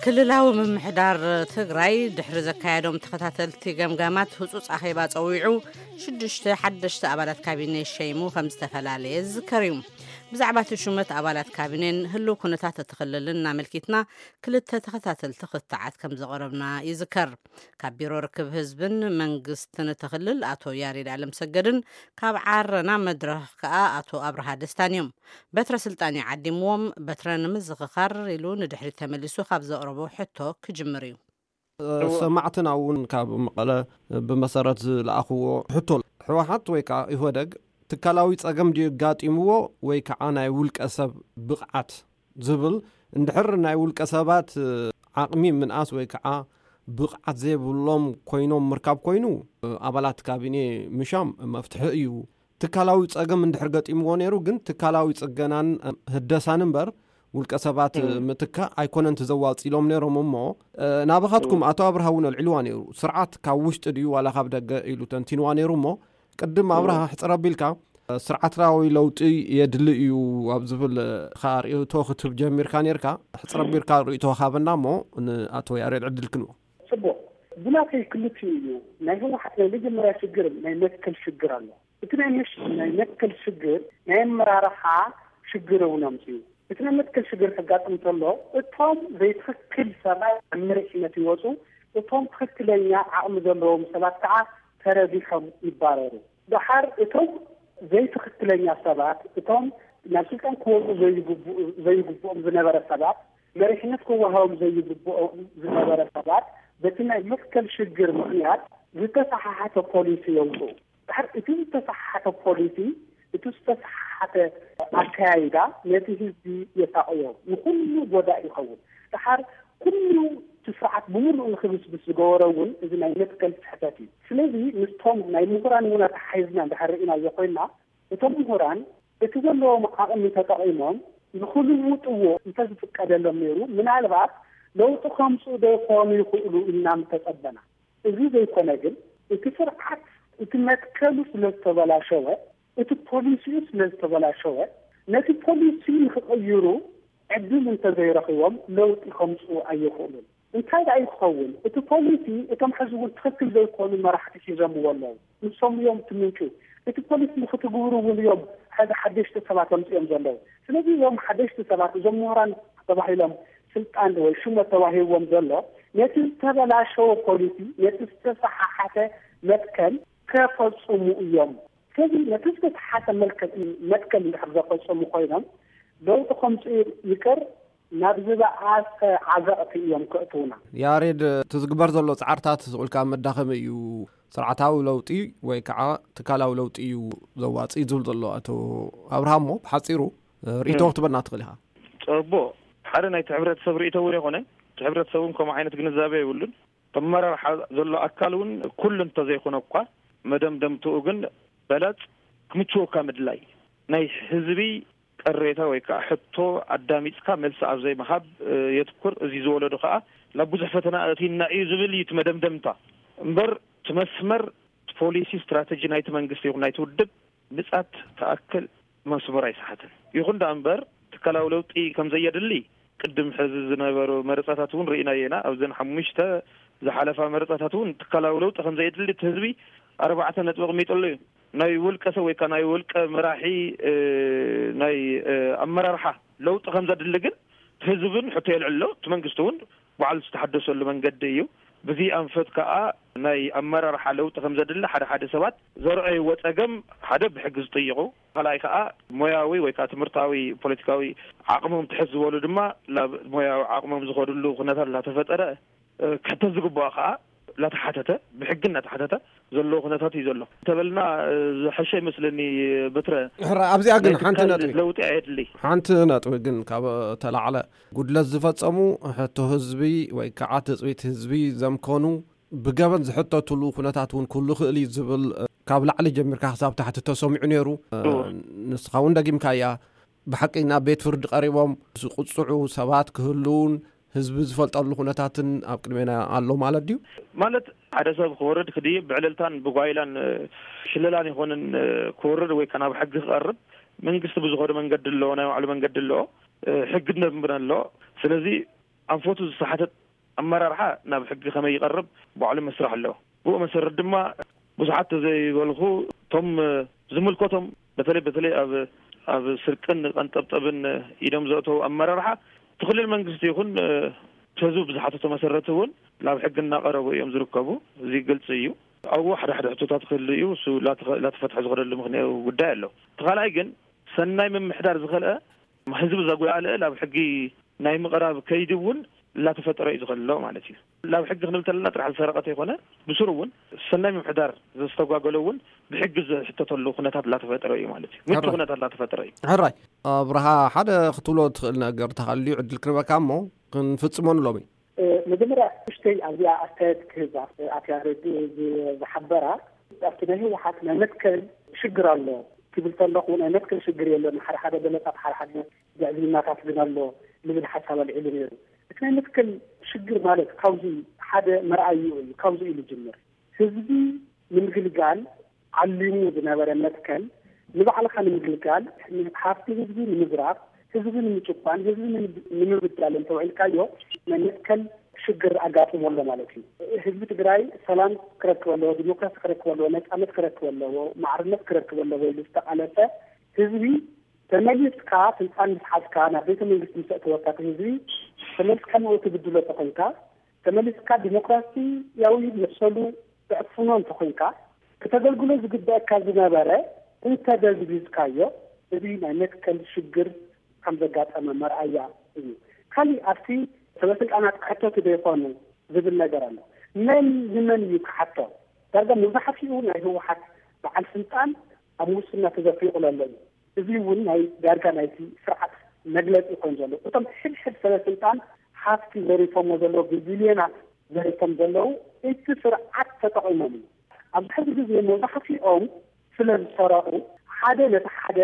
ክልላዊ ምምሕዳር ትግራይ ድሕሪ ዘካየዶም ተኸታተልቲ ገምጋማት ህጹጽ ኣኼባ ጸዊዑ ሽዱሽተ ሓደሽቲ ኣባላት ካቢኔ ሸይሙ ከም ዝተፈላለየ ዝዝከር እዩ። ብዛዕባ እቲ ሹመት ኣባላት ካቢኔን ህልው ኩነታት እቲ ክልልን እናመልኪትና ክልተ ተኸታተልቲ ክትዓት ከም ዘቕረብና ይዝከር። ካብ ቢሮ ርክብ ህዝብን መንግስትን እቲ ክልል ኣቶ ያሬድ ኣለምሰገድን ካብ ዓረና መድረኽ ከኣ ኣቶ ኣብርሃ ደስታን እዮም። በትረ ስልጣን እዩ ዓዲምዎም። በትረ ንምዝኽኻር ኢሉ ንድሕሪት ተመሊሱ ካብ ዘቕረቦ ሕቶ ክጅምር እዩ። ሰማዕትና እውን ካብ መቐለ ብመሰረት ዝለኣኽዎ ሕቶ፣ ህወሓት ወይ ከዓ ኢህወደግ ትካላዊ ጸገም ድዩ ኣጋጢምዎ ወይ ከዓ ናይ ውልቀ ሰብ ብቕዓት ዝብል፣ እንድሕር ናይ ውልቀ ሰባት ዓቕሚ ምንኣስ ወይ ከዓ ብቕዓት ዘይብሎም ኮይኖም ምርካብ ኮይኑ፣ ኣባላት ካቢኔ ምሻም መፍትሒ እዩ። ትካላዊ ጸገም እንድሕር ገጢምዎ ነይሩ ግን ትካላዊ ጽገናን ህደሳን እምበር ውልቀ ሰባት ምትካእ ኣይኮነን ተዘዋጽ ኢሎም ነይሮም። እሞ ናባኻትኩም ኣቶ ኣብርሃ እውን ኣልዒልዋ ነይሩ። ስርዓት ካብ ውሽጢ ድዩ ዋላ ካብ ደገ ኢሉ ተንቲንዋ ነይሩ። እሞ ቅድም ኣብርሃ ሕጽር ኣቢልካ ስርዓታዊ ለውጢ የድሊ እዩ ኣብ ዝብል ርእቶ ክትህብ ጀሚርካ ነርካ። ሕጽር ኣቢልካ ርእቶ ሃበና እሞ ንኣቶ ያሬድ ዕድል ክንቦ። ጽቡቕ። ብናተይ ክልቲኡ እዩ። ናይ ህወሓት ናይ መጀመርያ ሽግር ናይ መትከል ሽግር ኣሎ። እቲ ናይ መሽ ናይ መትከል ሽግር ናይ ኣመራርሓ ሽግር እውን ኣምፅኡ። እቲ ናይ መትከል ሽግር ከጋጥም እንተሎ እቶም ዘይትኽክል ሰባት ኣብ መሪሕነት ይወፁ፣ እቶም ትኽክለኛ ዓቕሚ ዘለዎም ሰባት ከዓ ተረቢሖም ይባረሩ። ደሓር እቶም ዘይትኽክለኛ ሰባት፣ እቶም ናብ ስልጣን ክወፁ ዘይግብኡ ዘይግብኦም ዝነበረ ሰባት፣ መሪሕነት ክወሃቦም ዘይግብኦም ዝነበረ ሰባት በቲ ናይ መትከል ሽግር ምኽንያት ዝተሰሓሓተ ፖሊሲ የውፅኡ። ድሓር እቲ ዝተሰሓሓተ ፖሊሲ፣ እቲ ዝተሰሓሓተ ኣካያይዳ ነቲ ህዝቢ የሳቕዮ፣ ንኹሉ ጎዳእ ይኸውን። ድሓር ኩሉ እቲ ስርዓት ብምሉኡ ንክብስብስ ዝገበሮ እውን እዚ ናይ መትከል ስሕተት እዩ። ስለዚ ምስቶም ናይ ምሁራን እውን ኣተሓሒዝና እንድሕር ርኢናዮ ኮይና፣ እቶም ምሁራን እቲ ዘለዎም ዓቕሚ ተጠቒሞም ንክልውጥዎ እንተዝፍቀደሎም ነይሩ፣ ምናልባት ለውጢ ከምፅኡ ዶ ይኾኑ ይኽእሉ ኢልና ምተፀበና። እዚ ዘይኮነ ግን እቲ ስርዓት እቲ መትከሉ ስለ ዝተበላሸወ፣ እቲ ፖሊሲኡ ስለ ዝተበላሸወ፣ ነቲ ፖሊሲ ንክቕይሩ ዕድል እንተዘይረኺቦም ለውጢ ከምፅኡ ኣይኽእሉን። እንታይ ደኣ እዩ ክኸውን? እቲ ፖሊሲ እቶም ሕዚ እውን ትኽክል ዘይኮኑ መራሕቲ ሒዞምዎ ኣለዉ። ንሶም እዮም እቲ ምንጩ። እቲ ፖሊሲ ንክትግብሩ እውን እዮም ሕዚ ሓደሽቲ ሰባት ኣምፅኦም ዘለዉ። ስለዚ እዞም ሓደሽቲ ሰባት፣ እዞም ምሁራን ተባሂሎም ስልጣን ወይ ሹመት ተዋሂብዎም ዘሎ፣ ነቲ ዝተበላሸወ ፖሊሲ፣ ነቲ ዝተሰሓሓተ መትከል ከፈፅሙ እዮም። ስለዚ ነቲ ዝተሰሓተ መልከ-፣ መትከል እንድሕር ዘፈፀሙ ኮይኖም ለውጢ ከምፅኡ ይቅር ናብ ዝበኣሰ ዓዘቕቲ እዮም ከእትውና። ያሬድ፣ እቲ ዝግበር ዘሎ ጻዕርታት ስቕ ኢልካ መዳኸሚ እዩ። ስርዓታዊ ለውጢ ወይ ከዓ ትካላዊ ለውጢ እዩ ዘዋጽእ ዝብል ዘሎ ኣቶ ኣብርሃም፣ እሞ ብሓጺሩ እ፣ ርእይቶ እ። ክትበና ትኽእል ኢኻ። ጽቡቕ። ሓደ ናይቲ ሕብረተሰብ ርእይቶ እውን ኣይኮነን። እቲ ሕብረተሰብ እውን ከምኡ ዓይነት ግንዛቤ የብሉን። ኣመራርሓ ዘሎ ኣካል እውን ኩሉ እንተዘይኮነ እኳ መደምደምትኡ ግን በለጽ ክምችወካ ምድላይ ናይ ህዝቢ ቅሬታ ወይ ከዓ ሕቶ ኣዳሚፅካ መልሲ ኣብ ዘይምሃብ፣ እ፣ የትኩር። እዚ ዝወለዶ ከዓ ናብ ብዙሕ ፈተና ኣእትዩና እዩ ዝብል እዩ እቲ መደምደምታ። እምበር እቲ መስመር፣ እቲ ፖሊሲ፣ ስትራተጂ ናይቲ መንግስቲ ይኹን ናይቲ ውድብ ምጻት ተኣክል መስመር ኣይሰሓትን። ይኹን ደኣ እምበር ትካላዊ ለውጢ ከም ዘየድሊ ቅድም ሕዚ ዝነበሩ መረጻታት እውን ርኢናዮ ኢና። ኣብዘን ሓሙሽተ ዝሓለፋ መረጻታት እውን ትካላዊ ለውጢ ከም ዘየድሊ እቲ ህዝቢ ኣርባዕተ ነጥቢ ኣቕሚጡሉ እዩ። ናይ ውልቀ ሰብ ወይ ከዓ ናይ ውልቀ መራሒ፣ እ፣ ናይ፣ እ፣ ኣመራርሓ ለውጢ ከም ዘድሊ ግን ህዝብን ሕቶ የልዕሎ። እቲ መንግስቲ እውን ባዕሉ ዝተሓደሰሉ መንገዲ እዩ። ብዚ ኣንፈት ከዓ ናይ ኣመራርሓ ለውጢ ከም ዘድሊ ሓደ ሓደ ሰባት ዘርኣይዎ ጸገም፣ ሓደ ብሕጊ ዝጥይቑ፣ ካልኣይ ከዓ ሞያዊ ወይ ከዓ ትምህርታዊ ፖለቲካዊ ዓቕሞም ትሕት ዝበሉ ድማ ናብ ሞያዊ ዓቕሞም ዝኸድሉ ኩነታት እናተፈጠረ፣ እ፣ ክሕተት ዝግባኦ ከዓ እናተሓተተ፣ ብሕጊ እናተሓተተ ዘለዎ ኩነታት እዩ ዘሎ። እንተበልና፣ እ፣ ዝሐሸ ይመስለኒ። በትረ፣ ሕራ፣ ኣብዚኣ ግን ናይ ሓንቲ ትካል ነጥቢ፣ ለውጢ ኣየድሊ። ሓንቲ ነጥቢ ግን ካብ ተላዕለ፣ ጉድለት ዝፈጸሙ፣ ሕቶ ህዝቢ ወይ ከዓ ትጽቢት ህዝቢ ዘምከኑ ብገበን ዝሕተትሉ ኩነታት እውን ክህሉ ይኽእል እዩ ዝብል፣ እ፣ ካብ ላዕሊ ጀሚርካ ክሳብ ታሕቲ ተሰሚዑ ነይሩ። እ፣ እወ። ንስኻ እውን ደጊምካያ። ብሓቂ ናብ ቤት ፍርዲ ቀሪቦም ዝቕጽዑ ሰባት ክህልውን ህዝቢ ዝፈልጠሉ ኩነታትን ኣብ ቅድሜና ኣሎ ማለት ድዩ? ማለት ሓደ ሰብ ክወርድ ክድይብ ብዕልልታን ብጓይላን፣ እ፣ ሽለላን ይኾንን፣ እ፣ ክወርድ ወይ ከ ናብ ሕጊ ክቐርብ መንግስቲ ብዝኸዶ መንገዲ ኣለዎ፣ ናይ ባዕሉ መንገዲ ኣለዎ፣ እ፣ ሕጊ ደንብን ኣለዎ። ስለዚ ኣንፈቱ ዝተሓተት ኣመራርሓ ናብ ሕጊ ከመይ ይቐርብ ባዕሉ መስርሕ ኣለዎ። ብኡ መሰረት ድማ ብዙሓት ተዘይበልኹ እቶም ዝምልከቶም በተለይ በተለይ ኣብ ኣብ ስርቅን ቀንጠብጠብን ኢዶም ዘእተው ኣመራርሓ እቲ ክልል መንግስቲ ይኹን እቲ ህዝቢ ብዝሓተቶ መሰረት እውን ናብ ሕጊ እናቐረቡ እዮም ዝርከቡ። እዚ ግልፂ እዩ። ኣብኡ ሓደ ሓደ ሕቶታት ክህሉ እዩ። እሱ ላተኸ- ላተፈትሐ ዝኸደሉ ምኽንያዊ ጉዳይ ኣሎ። እቲ ካልኣይ ግን ሰናይ ምምሕዳር ዝኸልአ ህዝቢ ዘጉላልአ ናብ ሕጊ ናይ ምቕራብ ከይዲ እውን እናተፈጠረ እዩ ዝኸሎ ማለት እዩ። ናብ ሕጊ ክንብል ተለና ጥራሕ ዝሰረቐ ተይኮነ ብስሩ እውን ሰናይ ምምሕዳር ዘስተጓገሎ እውን ብሕጊ ዝሕተተሉ ኩነታት እናተፈጠረ እዩ ማለት እዩ። ምቹ ሕራይ። ኩነታት እናተፈጠረ እዩ። ሕራይ ኣብርሃ፣ ሓደ ክትብሎ ትኽእል ነገር ተሃልዩ ዕድል ክረበካ እሞ ክንፍጽሞ ንሎሚ። እ፣ መጀመርያ ውሽተይ ኣብዚኣ ኣስተያየት ክህባ፣ እ፣ ኣቲ ያሬድ ዝ- ዝሓበራ ኣብቲ ናይ ህወሓት ናይ መትከል ሽግር ኣሎ ትብል ከለኹ ናይ መትከል ሽግር የለን፣ ሓደ ሓደ ገለጻት ሓደ ሓደ ግዕዝይናታት ግን ኣሎ ልብል ሓሳብ ኣልዒሉ ነይሩ። እቲ ናይ መትከል ሽግር ማለት ካብዚ ሓደ መርኣይኡ እዩ፣ ካብዚ እዩ ዝጅምር። ህዝቢ ንምግልጋል ዓሊሙ ዝነበረ መትከል ንባዕልኻ ንምግልጋል፣ ሃፍቲ ህዝቢ ንምዝራፍ፣ ህዝቢ ንምጭቋን፣ ህዝቢ ንምብ- ንምብዳል እንተውዒልካዮ ናይ መትከል ሽግር ኣጋጥሞ ኣሎ ማለት እዩ። ህዝቢ ትግራይ ሰላም ክረክብ ኣለዎ፣ ዲሞክራሲ ክረክብ ኣለዎ፣ ነፃነት ክረክብ ኣለዎ፣ ማዕርነት ክረክብ ኣለዎ ኢሉ ዝተቓለሰ ህዝቢ ተመሊስካ ስልጣን ምስ ሓዝካ ናብ ቤተ መንግስቲ ምስ ኣእተወካ እቲ ህዝቢ ተመልስካ ንኡ ትብድሎ ተኾይንካ ተመሊስካ ዲሞክራሲያዊ መሰሉ ተዕፍኖ እንተኾይንካ ክተገልግሎ ዝግበአካ ዝነበረ እንተደብዝብዝካዮ እዚ ናይ መትከል ሽግር ከም ዘጋጠመ መርኣያ እዩ። ካሊእ ኣብቲ ሰበ ስልጣናት ክሕተቱ ዶ ይኾኑ ዝብል ነገር ኣሎ። መን ንመን እዩ ክሓቶ? ዳርጋ መብዛሕትኡ ናይ ህወሓት በዓል ስልጣን ኣብ ሙስና ተዘፊቑ ዘሎ እዩ። እዚ እውን ናይ ዳርጋ ናይቲ ስርዓት መግለፂ ኮይኑ ዘሎ እቶም ሕድሕድ ሰበ ስልጣን ሃፍቲ ዘሪፎሞ ዘለዉ ብቢልዮናት ዘሪፎም ዘለዉ እቲ ስርዓት ተጠቒሞም እዩ። ኣብዚ ሕዚ ግዜ መብዛሕትኦም ስለ ዝሰረቑ ሓደ ነቲ ሓደ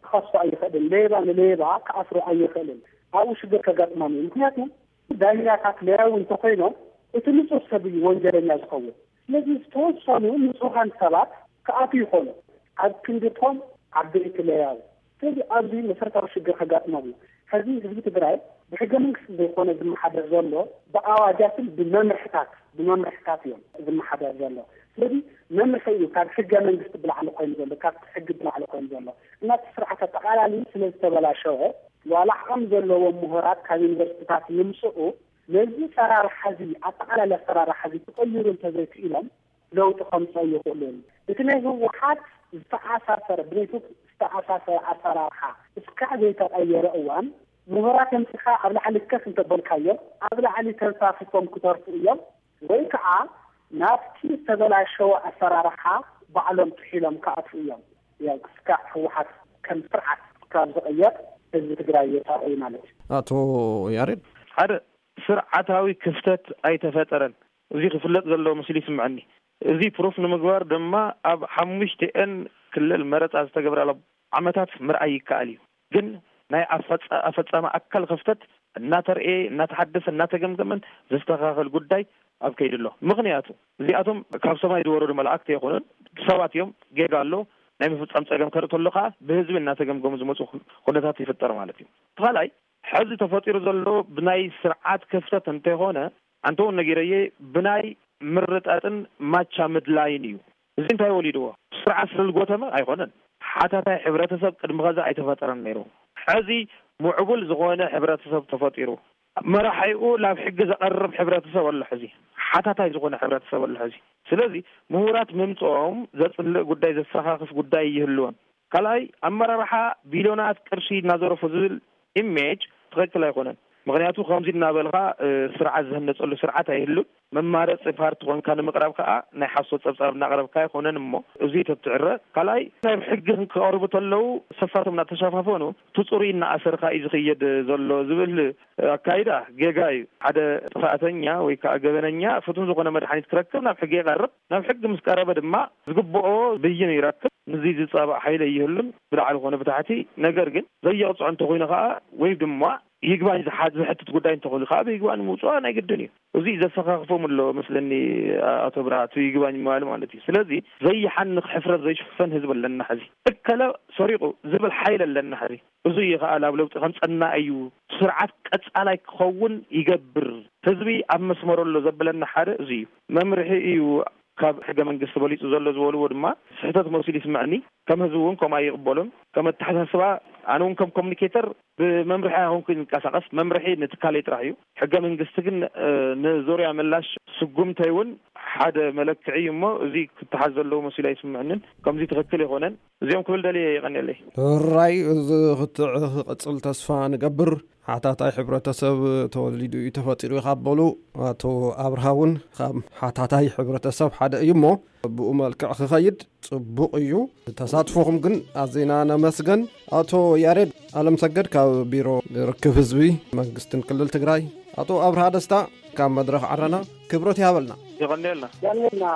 ክኸሶ ኣይኽእልን፣ ሌባ ንሌባ ክኣስሮ ኣይኽእልን። ኣብኡ ሽግር ከጋጥሞም እዩ። ምክንያቱ ዳኛታት ለያዊ እንተኮይኖም እቲ ንጹር ሰብ እዩ ወንጀለኛ ዝኸውን። ስለዚ ዝተወሰኑ ንጹሃን ሰባት ክኣትዉ ይኾኑ ኣብ ክንድቶም ዓበይቲ ለያዊ። ስለዚ ኣብዚ መሰረታዊ ሽግር ከጋጥሞም እዩ። ሕዚ ህዝቢ ትግራይ ብሕገ መንግስቲ ዘይኮነ ዝመሓደር ዘሎ ብኣዋጃትን ብመምርሕታት ብመምርሕታት እዮም ዝመሓደር ዘሎ። ስለዚ መምርሒ እዩ ካብ ሕገ መንግስቲ ብላዕሊ ኮይኑ ዘሎ፣ ካብ ሕጊ ብላዕሊ ኮይኑ ዘሎ። እናቲ ስርዓት ኣጠቓላሊ ስለ ዝተበላሸወ ዋላ ዓቕሚ ዘለዎም ምሁራት ካብ ዩኒቨርሲቲታት ይምፅኡ ነዚ ኣሰራርሓ እዚ ኣጠቓላሊ ኣሰራርሓ እዚ ክቕይሩ እንተዘይክኢሎም ለውጢ ከምፅኦ ይኽእሉ እዮም። እቲ ናይ ህወሓት ዝተኣሳሰረ ብነይቱ ዝተኣሳሰረ ኣሰራርሓ እስካዕ ዘይተቐየረ እዋን ምሁራት ኣምፂኻ ኣብ ላዕሊ ከፍ እንተበልካዮም ኣብ ላዕሊ ተንሳፊፎም ክተርፉ እዮም ወይ ከዓ ናብቲ ዝተበላሸወ ኣሰራርሓ ባዕሎም ጥሒሎም ክኣትዉ እዮም። ያው እስካዕ ህወሓት ከም ስርዓት ካብ ዝቕየር ህዝቢ ትግራይ የጣቕዩ ማለት እዩ። ኣቶ ያሬድ ሓደ ስርዓታዊ ክፍተት ኣይተፈጠረን። እዚ ክፍለጥ ዘለዎ ምስሉ ይስምዐኒ። እዚ ፕሩፍ ንምግባር ድማ ኣብ ሓሙሽቲኤን ክልል መረፃ ዝተገብራሉ ዓመታት ምርኣይ ይከኣል እዩ። ግን ናይ ኣፈፃ- ኣፈፃሚ ኣካል ክፍተት እናተርኤ እናተሓደሰ እናተገምገመን ዝስተኻኸል ጉዳይ ኣብ ከይዲ ኣሎ። ምክንያቱ እዚኣቶም ካብ ሰማይ ዝወረዱ መላእክቲ ኣይኮኑን፣ ሰባት እዮም። ጌጋ ኣሎ፣ ናይ ምፍፃም ፀገም ከርኢ ተሎ ከዓ ብህዝቢ እናተገምገሙ ዝመፁ ኩነታት ይፍጠር ማለት እዩ። እቲ ካልኣይ ሕዚ ተፈጢሩ ዘሎ ብናይ ስርዓት ክፍተት እንተይኮነ ኣንተ እውን ነጊረየ ብናይ ምርጣጥን ማቻ ምድላይን እዩ። እዚ እንታይ ወሊድዎ? ስርዓት ስለዝጎተመ ኣይኮነን። ሓታታይ ሕብረተሰብ ቅድሚ ኸዚ ኣይተፈጠረን ነይሩ። ሕዚ ምዕቡል ዝኾነ ሕብረተሰብ ተፈጢሩ መራሒኡ ናብ ሕጊ ዘቐርብ ሕብረተሰብ ኣሎ። ሕዚ ሓታታይ ዝኾነ ሕብረተሰብ ኣሎ። ሕዚ ስለዚ ምሁራት ምምፅኦም ዘፅልእ ጉዳይ ዘሰኻኽፍ ጉዳይ ይህልወን። ካልኣይ ኣመራርሓ ቢልዮናት ቅርሺ እናዘረፉ ዝብል ኢሜጅ ትኽክል ኣይኮነን። ምክንያቱ ከምዚ እናበልካ ስርዓት ዝህነፀሉ ስርዓት ኣይህሉን። መማረፂ ፓርቲ ኮንካ ንምቅራብ ከዓ ናይ ሓሶት ፀብፃብ እናቅረብካ ኣይኮነን። እሞ እዚ ተትዕረ ካልኣይ ናብ ሕጊ ክቀርቡ ተለው ሰፋቶም እናተሸፋፈኑ ትፁሪ እናኣሰርካ እዩ ዝኽየድ ዘሎ ዝብል ኣካይዳ ጌጋ እዩ። ሓደ ጥፋእተኛ ወይ ከዓ ገበነኛ ፍቱን ዝኾነ መድሓኒት ክረክብ ናብ ሕጊ ይቀርብ። ናብ ሕጊ ምስ ቀረበ ድማ ዝግብኦ ብይን ይረክብ። ንዚ ዝፃባእ ሓይሊ ኣይህሉን ብላዕሊ ኮነ ብታሕቲ። ነገር ግን ዘየቕፅዖ እንተኮይኑ ከዓ ወይ ድማ ይግባኝ ዝሓ- ዝሕትት ጉዳይ እንተኾይኑ ከዓ ብይግባኝ ምውፅዋ ናይ ግድን እዩ። እዚ ዘሰኻኽፎም ኣሎ መስለኒ። ኣቶ ብርሃቱ ይግባኝ ምባል ማለት እዩ። ስለዚ ዘይሓንኽ ሕፍረት ዘይሽፈን ህዝቢ ኣለና ሕዚ። እከለ ሰሪቑ ዝብል ሓይል ኣለና ሕዚ። እዚ እዩ ከዓ ናብ ለውጢ ከምፀና እዩ። ስርዓት ቀፃላይ ክኸውን ይገብር። ህዝቢ ኣብ መስመሩ ኣሎ ዘብለና ሓደ እዚ እዩ። መምርሒ እዩ ካብ ሕገ መንግስቲ በሊፁ ዘሎ ዝበልዎ ድማ ስሕተት መሲሉ ይስምዐኒ። ከም ህዝቢ እውን ከምኡ ኣይቕበሎን። ከም ኣተሓሳስባ ኣነ እውን ከም ኮሚኒኬተር ብመምርሒ ኣይኮንኩ ዝንቀሳቐስ፣ መምርሒ ንትካለይ ጥራሕ እዩ። ሕገ መንግስቲ ግን ንዙርያ ምላሽ ስጉምተይ እውን ሓደ መለክዒ እዩ እሞ እዚ ክተሓዝ ዘለዎ መሲሉ ኣይስምዕንን። ከምዚ ትኽክል ኣይኮነን። እዚኦም ክብል ደልየ። የቐንየለይ። ሕራይ፣ እዚ ክትዕ ክቕፅል ተስፋ ንገብር። ሓታታይ ሕብረተሰብ ተወሊዱ እዩ ተፈጢሩ እዩ ካብ በሉ ኣቶ ኣብርሃ እውን ካብ ሓታታይ ሕብረተሰብ ሓደ እዩ እሞ ብኡ መልክዕ ክኸይድ ፅቡቕ እዩ። ተሳትፎኹም ግን ኣዜና ነመስገን። ኣቶ ያሬድ ኣለምሰገድ ካብ ቢሮ ርክብ ህዝቢ መንግስትን ክልል ትግራይ፣ ኣቶ ኣብርሃ ደስታ ካብ መድረኽ ዓረና ክብረት ይሃበልና። የቐንየልና።